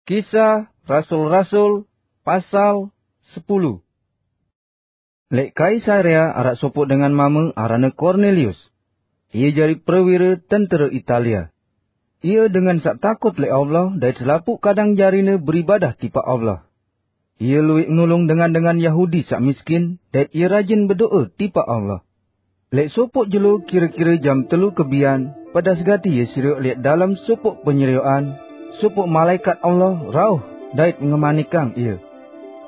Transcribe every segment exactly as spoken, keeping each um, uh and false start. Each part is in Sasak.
Kisah Rasul-Rasul, pasal sepuluh. Lek Kaisarea araq sopoq dengan mame aranne Kornelius. Ie jari perwire tentere Italia. Ie dengan saq takut lek Allah dait selapuq kadang jarine beribadah tipaq Allah. Ie lueq nulung dengan-dengan Yahudi saq miskin, dait ie rajin bedoe tipaq Allah. Leq sopoq jelo kire-kire jam telu kebian, pedas gati ie serioq leq dalem sopoq penyerioqan, sopoq malaekat Allah rauh dait ngemanikang ie,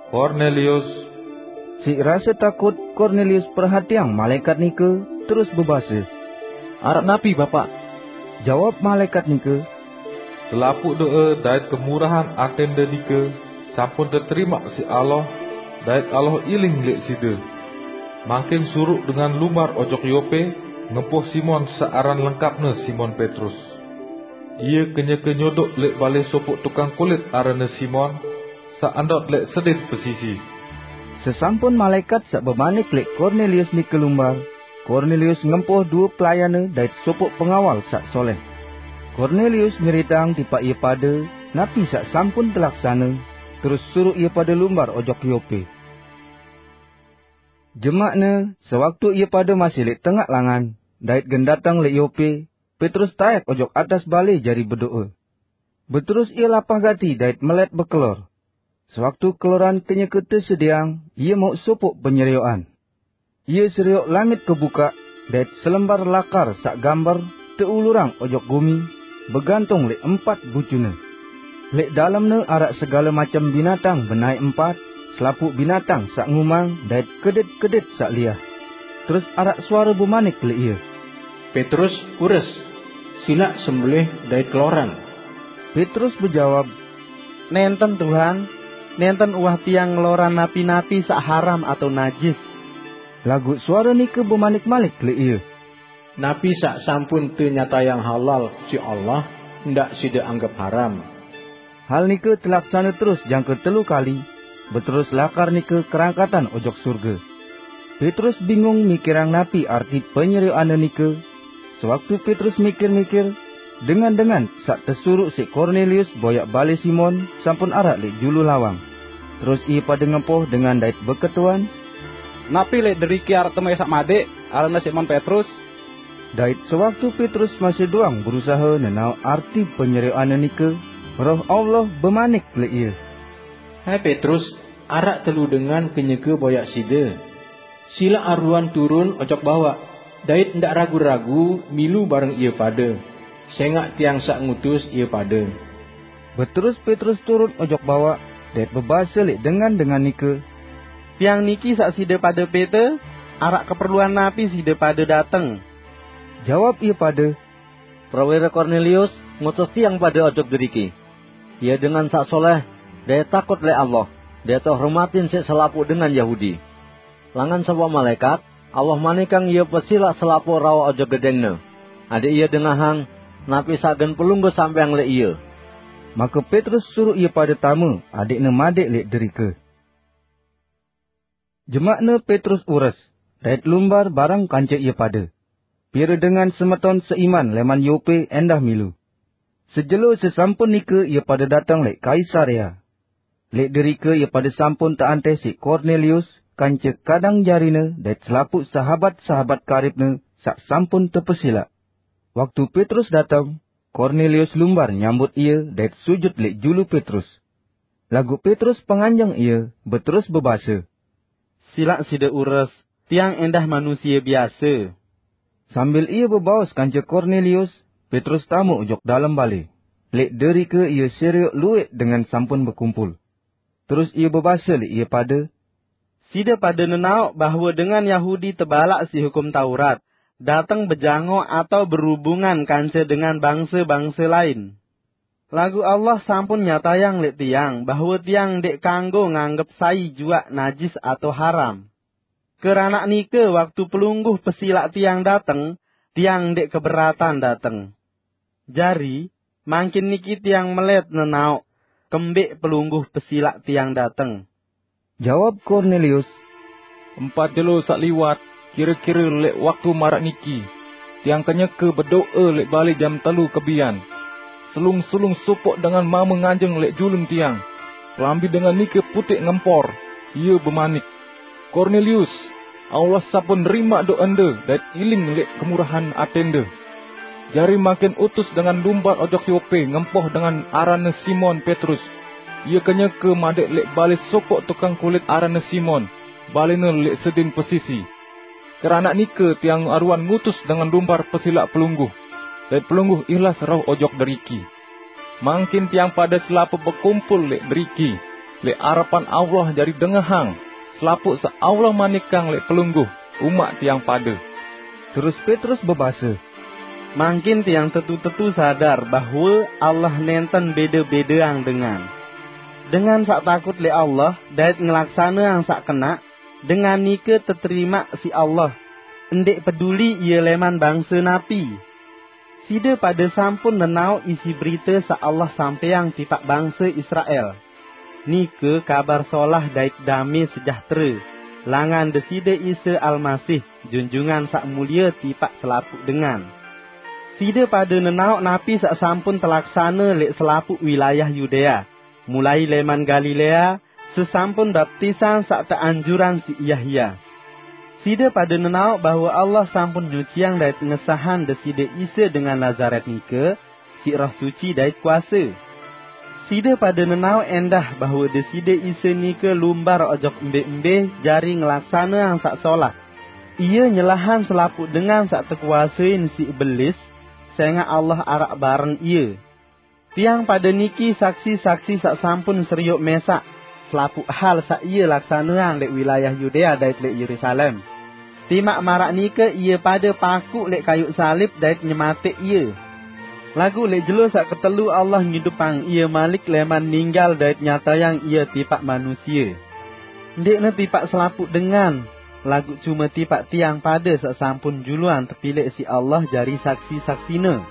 "Kornelius!" Siq rase takut, Kornelius perhatiang malaekat nike, terus bebase, "Araq napi, Bapaq?" Jawab malaekat nike, "Selapuq doe dait kemurahan atende nike sampun teterimaq siq Allah, dait Allah iling leq side. Mangkin suruq dengan lumbar ojok Yope ngempoh Simon saq aran lengkapne Simon Petrus. Ie kenyeke nyodoq leq bale sopoq tukang kulit aranne Simon, saq ndot leq sedin pesisi." Sesampun malaekat saq bemanik leq Kornelius nike lumbar, Kornelius ngempoh due pelayanne dait sopoq pengawal saq soleh. Kornelius nyeriteang tipaq ie pade napi saq sampun telaksane, terus suruq ie pade lumbar ojok Yope. Jemaqne, sewaktu ie pade masih leq tengaq langan, dait gen dateng leq Yope, Petrus taek ojok atas bale jari bedoe. Beterus ie lapah gati dait melet bekelor. Sewaktu keloran kenyeke tesediang, ie mauq sopoq penyerioqan. Ie serioq langit kebukaq, dait selembar lakar saq gamber teulurang ojok gumi, begantung leq empat bucune. Leq dalemne araq segale macem binatang benaeq empat, selapuq binatang saq ngumang dait kedit-kedit saq liah. Terus araq suare bemanik leq ie, "Petrus, ures! Silaq sembelih dait keloran." Petrus bejawab, "Nenten, Tuhan, nenten uwah tiang ngeloran napi-napi saq haram atau najis." Laguq suare nike bemanik malik leq ie, "Napi saq sampun tenyatayang halal siq Allah, ndaq side anggep haram." Hal nike telaksane terus jangke telu kali, beterus lakar nike kerangkatan ojok surge. Petrus bingung mikirang napi arti penyerioqanne nike. Sewaktu Petrus mikir-mikir, dengan-dengan saq tesuruq siq Kornelius boyaq bale Simon sampun araq leq julu lawang. Terus ie pade ngempoh dengan dait beketuan, "Napi leq deriki araq teme saq madeq, aranne Simon Petrus?" Dait sewaktu Petrus masih doang berusahe nenaoq arti penyerioqanne nike, Roh Allah bemanik leq ie, "Hai Petrus, araq telu dengan kenyeke boyaq side. Silaq aruan turun ojok bawaq, dait ndaq ragu-ragu milu bareng ie pade, sengaq tiang saq ngutus ie pade." Beterus Petrus turun ojok bawaq, dait bebase leq dengan-dengan nike, "Tiang niki saq side pade pete, araq keperluan napi side pade dateng?" Jawab ie pade, "Perwire Kornelius ngutus tiang pade ojok deriki. Ie dengan saq soleh, dait takut leq Allah, dait tehormatin siq selapuq dengan Yahudi. Langan sopoq malaekat, Allah manikang ie pesilaq selapuq rauh ojok gedengne, adeq ie dengahang napi saq gen pelungguh sampeang leq ie." Make Petrus suruq ie pade tame adeqne madeq leq derike. Jemaqne Petrus ures, dait lumbar bareng kance ie pade. Pire dengan semeton seiman leman Yope endah milu. Sejelo sesampun nike ie pade dateng leq Kaisarea. Leq derike ie pade sampun teanteh siq Kornelius kance kadang jarine dait selapuq sahabat-sahabat karibne saq sampun tepesilaq. Waktu Petrus dateng, Kornelius lumbar nyambut ie dait sujut leq julu Petrus. Laguq Petrus penganjeng ie, beterus bebase, "Silaq side ures, tiang endah manusie biase." Sambil ie bebaos kance Kornelius, Petrus tame ojok dalem bale. Leq derike ie serioq lueq dengan sampun bekumpul. Terus ie bebase leq ie pade, "Side pade nenaoq bahwe dengan Yahudi tebalaq siq Hukum Taurat, dateng bejangoq atau berubungan kance dengan bangse-bangse lain. Laguq Allah sampun nyatayang leq tiang bahwe tiang ndeq kanggo nganggep sai juaq najis atau haram. Keranaq nike, waktu Pelungguh pesilaq tiang dateng, tiang ndeq keberatan dateng. Jari, mangkin niki tiang melet nenaoq kembeq Pelungguh pesilaq tiang dateng." Jawab Kornelius, "Empat jelo saq liwat, kire-kire leq waktu maraq niki, tiang kenyeke bedoe leq bale jam telu kebian. Selung-selung sopoq dengan mame nganjeng leq julun tiang. Kelambi dengan nike puteq ngempor. Ie bemanik, "Kornelius, Allah sampun nerimaq doqende dait iling leq kemurahan atende. Jari mangkin utus dengan lumbar ojok Yope ngempoh dengan aranne Simon Petrus. Ie kenyeke madeq leq bale sopoq tukang kulit aranne Simon, balene leq sedin pesisi. Keranaq nike tiang aruan ngutus dengan lumbar pesilaq pelungguh, dait pelungguh ihlas rauh ojok deriki. Mangkin tiang pade selapuq bekumpul leq deriki, leq arepan Allah jari dengehang selapuq saq Allah manikang leq pelungguh umaq tiang pade." Terus Petrus bebase, "Mangkin tiang tetu-tetu sadar bahwe Allah nenten bede-bedeang dengan. Dengan saq takut leq Allah dait ngelaksaneang saq kenaq, dengan nike teterimaq siq Allah, ndeq peduli ie leman bangse napi. Side pade sampun nenaoq isi berite saq Allah sampeyang tipaq bangse Israel. Nike kabar solah dait dame sejahtere langan Deside Isa Almasih, Junjungan Saq Mulie tipaq selapuq dengan. Side pade nenaoq napi saq sampun telaksane leq selapuq wilayah Yudea, mulai leman Galilea, sesampun baptisan saq teanjurang siq Yahya. Side pade nenaoq bahwe Allah sampun nyuciang dait ngesahang Deside Isa dengan Nazaret nike siq Roh Suci dait kuase. Side pade nenaoq endah bahwe Deside Isa nike lumbar ojok mbe-mbe jari ngelaksaneang saq solah. Ie nyelahang selapuq dengan saq tekuasein siq belis, sengaq Allah araq bareng ie. Tiang pade niki saksi-saksi saq sampun serioq mesaq selapuq hal saq ie laksaneang leq wilayah Yudea dait leq Yerusalem. Timaq maraq nike ie pade pakuq leq kayuq salib dait nyemateq ie. Laguq leq jelo saq ketelu Allah ngidupang ie malik leman ninggal dait nyatayang ie tipaq manusie. Ndeqne tipaq selapuq dengan, laguq cume tipaq tiang pade saq sampun juluan tepileq siq Allah jari saksi-saksine.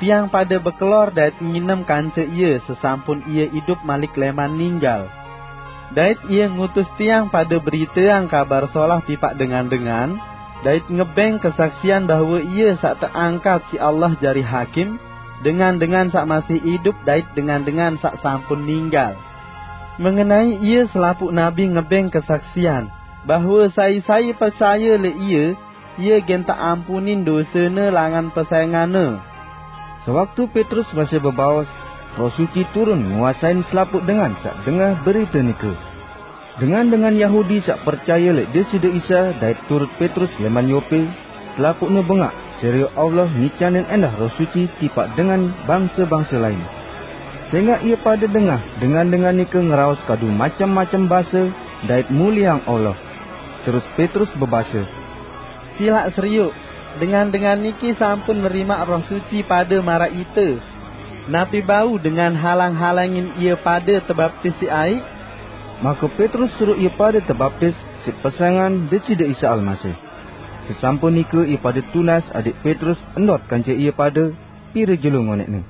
Tiang pade bekelor dait nginem kance ie sesampun ie idup malik leman ninggal. Dait ie ngutus tiang pade beriteang Kabar Solah tipaq dengan-dengan, dait ngebeng kesaksian bahwe ie saq teangkat siq Allah jari hakim, dengan-dengan saq masih idup dait dengan-dengan saq sampun ninggal. Mengenai ie selapuq nabi ngebeng kesaksian, bahwe sai-sai percaye leq ie, ie gen teampunin dosene langan pesenganne. Sewaktu Petrus masih bebaos, Roh Suci turun nguasain selapuq dengan saq dengah berite nike. Dengan-dengan Yahudi saq percaye leq Deside Isa dait turut Petrus leman Yope, selapuqne bengaq, serioq Allah ngicanin endah Roh Suci tipaq dengan bangse-bangse lain. Sengaq ie pade dengah dengan-dengan nike ngeraos kadu macem-macem base dait mulieang Allah. Terus Petrus bebase, "Silaq serioq, dengan-dengan niki sampun nerimaq Roh Suci pade maraq ite. Napi bau dengan halang-halangin ie pade tebaptis siq aiq?" Make Petrus suruq ie pade tebaptis siq pesengan Deside Isa Almasih. Sesampun nike ie pade tunas adiq Petrus ndot kance ie pade, pire jelo ngoneqne.